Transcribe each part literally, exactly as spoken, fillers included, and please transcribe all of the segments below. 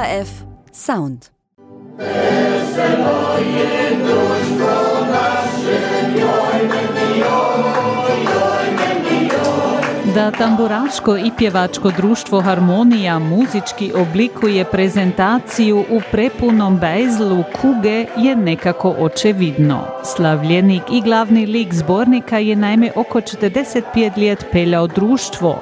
H F Sound. Da tamburaško i pjevačko društvo Harmonija muzički oblikuje prezentaciju u prepunom bejzlu kuge je nekako očevidno. Slavljenik i glavni lik zbornika je naime oko četrdeset pet let peljao društvo.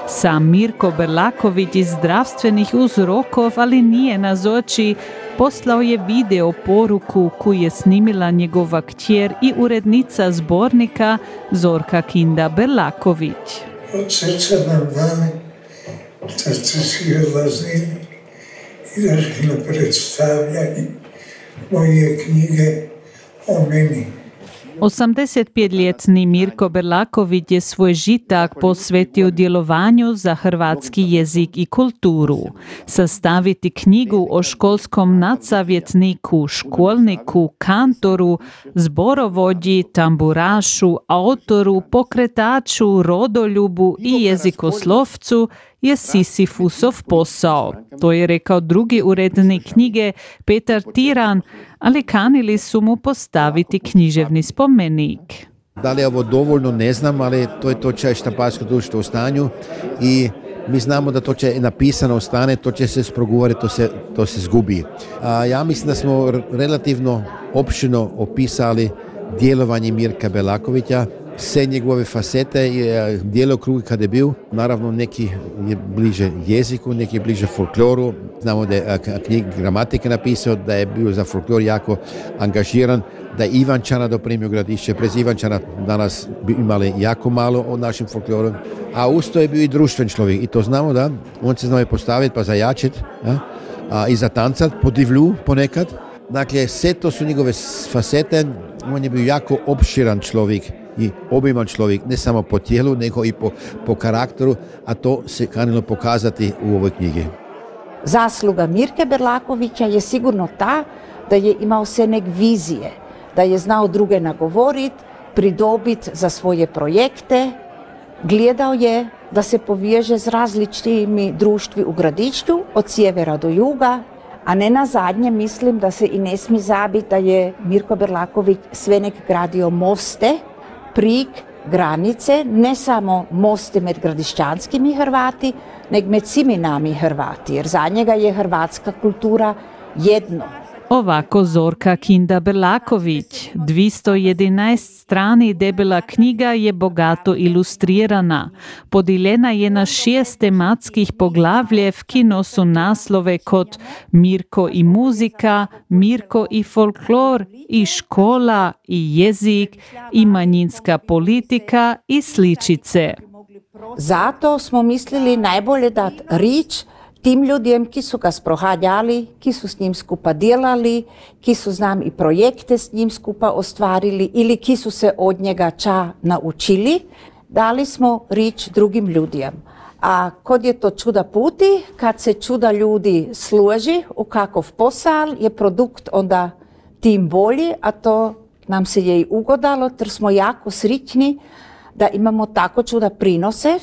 Sam Mirko Berlaković iz zdravstvenih uzrokov, ali nije nazoči, poslao je video poruku koju je snimila njegova kćer i urednica zbornika Zorka Kinda Berlaković. Od srca nam dane da ste svi odlazili i došli na predstavljanje moje knjige o meni. osamdesetpetletni Mirko Berlaković je svoj žitak posvetio djelovanju za hrvatski jezik i kulturu. Sastaviti knjigu o školskom nadsavjetniku, školniku, kantoru, zborovođi, tamburašu, autoru, pokretaču, rodoljubu i jezikoslovcu je Sisifusov posao. To je rekao drugi urednik knjige Petar Tiran, ali kanili su mu postaviti književni spomenik. Da li je ovo dovoljno, ne znam, ali to je to će štamparsko društvo u stanju i mi znamo da to će napisano ostane, to će se sprogovoriti, to se, to se zgubi. A ja mislim da smo relativno opširno opisali djelovanje Mirka Berlakovića, sve njegove fasete, djelokrug kada je bio, naravno neki je bliže jeziku, neki je bliže folkloru. Znamo da je knjig gramatike napisao, da je bio za folklor jako angažiran, da je Ivančana doprimio Gradišće. Prez Ivančana danas bi imali jako malo o našem folkloru, a usto je bio i društven čovjek i to znamo da on se znao postaviti pa zajačiti, ja? A i zatancat po divlju ponekad. Dakle, sve to su njegove fasete, on je bio jako opširan čovjek i obiman čovjek, ne samo po tijelu, nego i po, po karakteru, a to se kanilo pokazati u ovoj knjigi. Zasluga Mirke Berlakovića je sigurno ta da je imao se nek vizije, da je znao druge nagovoriti, pridobiti za svoje projekte, gledao je da se poveže s različitimi društvi u Gradišću, od sjevera do juga, a ne na zadnje mislim da se i ne smije zabiti da je Mirko Berlaković sve nek gradio moste, prik, granice, ne samo moste med gradišćanskimi Hrvati, nego med svimi nami Hrvati, jer za njega je hrvatska kultura jedno. Ovako Zorka Kinda Berlaković. dvjesto jedanaest strani debela knjiga je bogato ilustrirana. Podijeljena je na šest tematskih poglavljev, ki nosu naslove kot Mirko i muzika, Mirko i folklor, i škola, i jezik, i manjinska politika, i sličice. Zato smo mislili najbolje dati rič tim ljudem, ki su ga sprohajali, ki su s njim skupa delali, ki su znam i projekte s njim skupa ostvarili ili ki su se od njega ča naučili, dali smo rič drugim ljudem. A kod je to čuda puti, kad se čuda ljudi složi u kakov posal, je produkt onda tim bolji, a to nam se je i ugodalo, jer smo jako sritni da imamo tako čuda prinosev.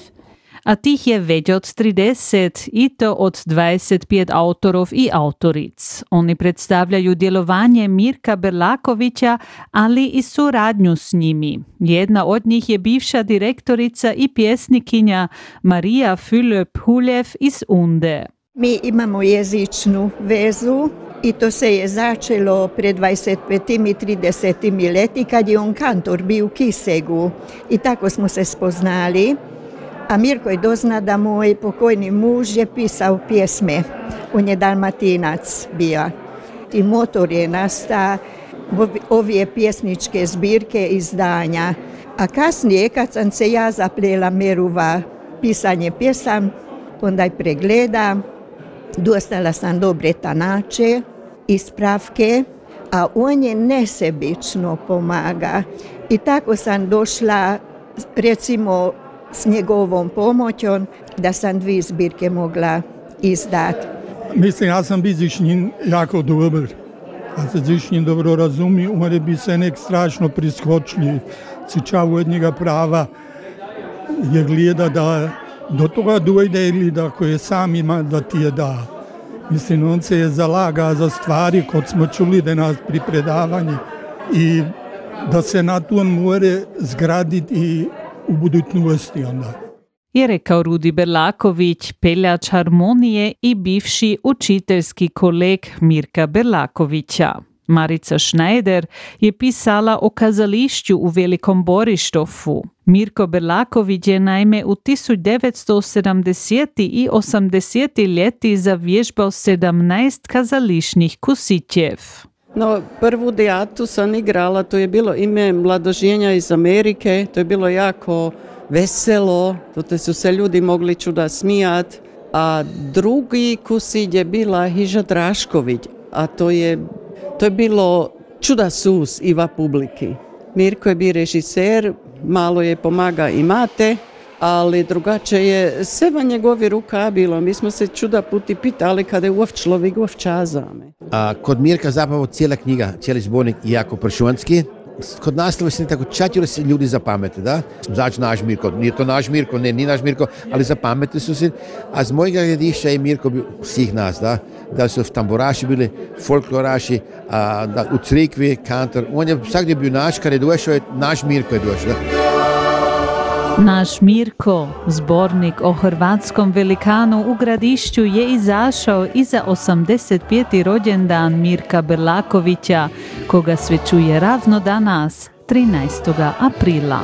A tih je već od trideset i to od dvadeset pet autorov i autoric. Oni predstavljaju djelovanje Mirka Berlakovića, ali i suradnju s njimi. Jedna od njih je bivša direktorica i pjesnikinja Marija Fülöp-Huljev iz Unde. Mi imamo jezičnu vezu i to se je začelo pred dvadeset petim i tridesetim leti kad je on kantor bio u Kisegu i tako smo se spoznali. A Mirko je dozna da moj pokojni muž je pisao pjesme. On je Dalmatinac bio. I motor je nastao ove pjesničke zbirke izdanja. A kasnije, kad sam se ja zaplela meruva pisanje pjesam, onda je pregleda, dostala sam dobre tanače, ispravke, a on je nesebično pomaga. I tako sam došla, recimo, s njegovom pomoćom da sam dvije zbirke mogla izdati. Mislim, ja sam bi z njim jako dobar. Ja se z njim dobro razumi, on bi se nek strašno priskočili. Sičav od njega prava je gleda da do toga dojde ili da ko je sam ima da ti je da. Mislim, on se je zalaga za stvari kod smo čuli da nas pri predavanju i da se na to more zgraditi i u budućnosti onda. Je rekao Rudi Berlaković, peljač harmonije i bivši učiteljski koleg Mirka Berlakovića. Marica Schneider je pisala o kazališću u Velikom Borištofu. Mirko Berlaković je naime u tisuć devetsto sedamdesetih i osamdesetih ljeti zavježbao sedamnaest kazališnih kusićev. No, prvu dijatu sam igrala, to je bilo ime Mladoženja iz Amerike, to je bilo jako veselo, to su se ljudi mogli čuda smijat, a drugi kusilj je bila Hiža Drašković, a to je, to je bilo čuda sus iva publiki. Mirko je bio režiser, malo je pomaga i mate, ali drugače je seva njegovi ruka bilo. Mi smo se čuda puti pitali kada je uov človek uov čazame. A kod Mirka zapravo cijela knjiga, cijeli zbornik jako pršuanski. Kod naslova se ne tako čatili se ljudi zapamete, da? Znači naš Mirko, nije to naš Mirko, ne, nije naš Mirko, ali zapamete su se. A z mojega gledišća je Mirko bio svih nas, da? Da su tamburaši bili, folkloraši, a, da, u crikvi, kantor. On je svakdje bio naš, kad je došao, je naš Mirko je došao, da? Naš Mirko, zbornik o hrvatskom velikanu u Gradišću, je izašao i za osamdeset peti rođendan Mirka Berlakovića, koga sve čuje ravno danas, trinaestog aprila.